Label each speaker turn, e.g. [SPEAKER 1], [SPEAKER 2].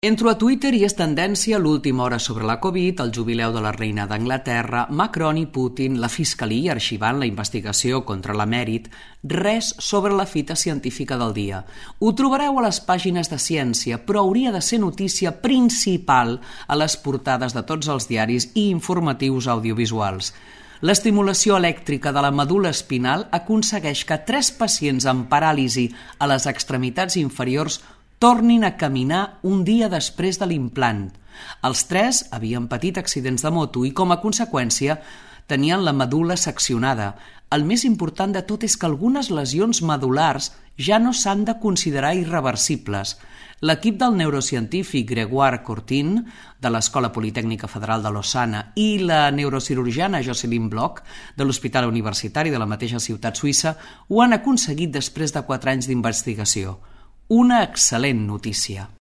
[SPEAKER 1] Entro a Twitter i és tendència l'última hora sobre la Covid, el jubileu de la reina d'Anglaterra, Macron i Putin, la fiscalia arxivant la investigació contra l'emèrit, res sobre la fita científica del dia. Ho trobareu a les pàgines de ciència, però hauria de ser notícia principal a les portades de tots els diaris i informatius audiovisuals. L'estimulació elèctrica de la medul·la espinal aconsegueix que 3 pacients amb paràlisi a les extremitats inferiors tornin a caminar un dia després de l'implant. Els 3 havien patit accidents de moto i, com a conseqüència, tenien la medul·la seccionada. El més important de tot és que algunes lesions medul·lars ja no s'han de considerar irreversibles. L'equip del neurocientífic Grégoire Courtine, de l'Escola Politècnica Federal de Lausana, i la neurocirurgiana Jocelyn Bloch, de l'Hospital Universitari de la mateixa ciutat suïssa, ho han aconseguit després de 4 anys d'investigació. Una excel·lent notícia.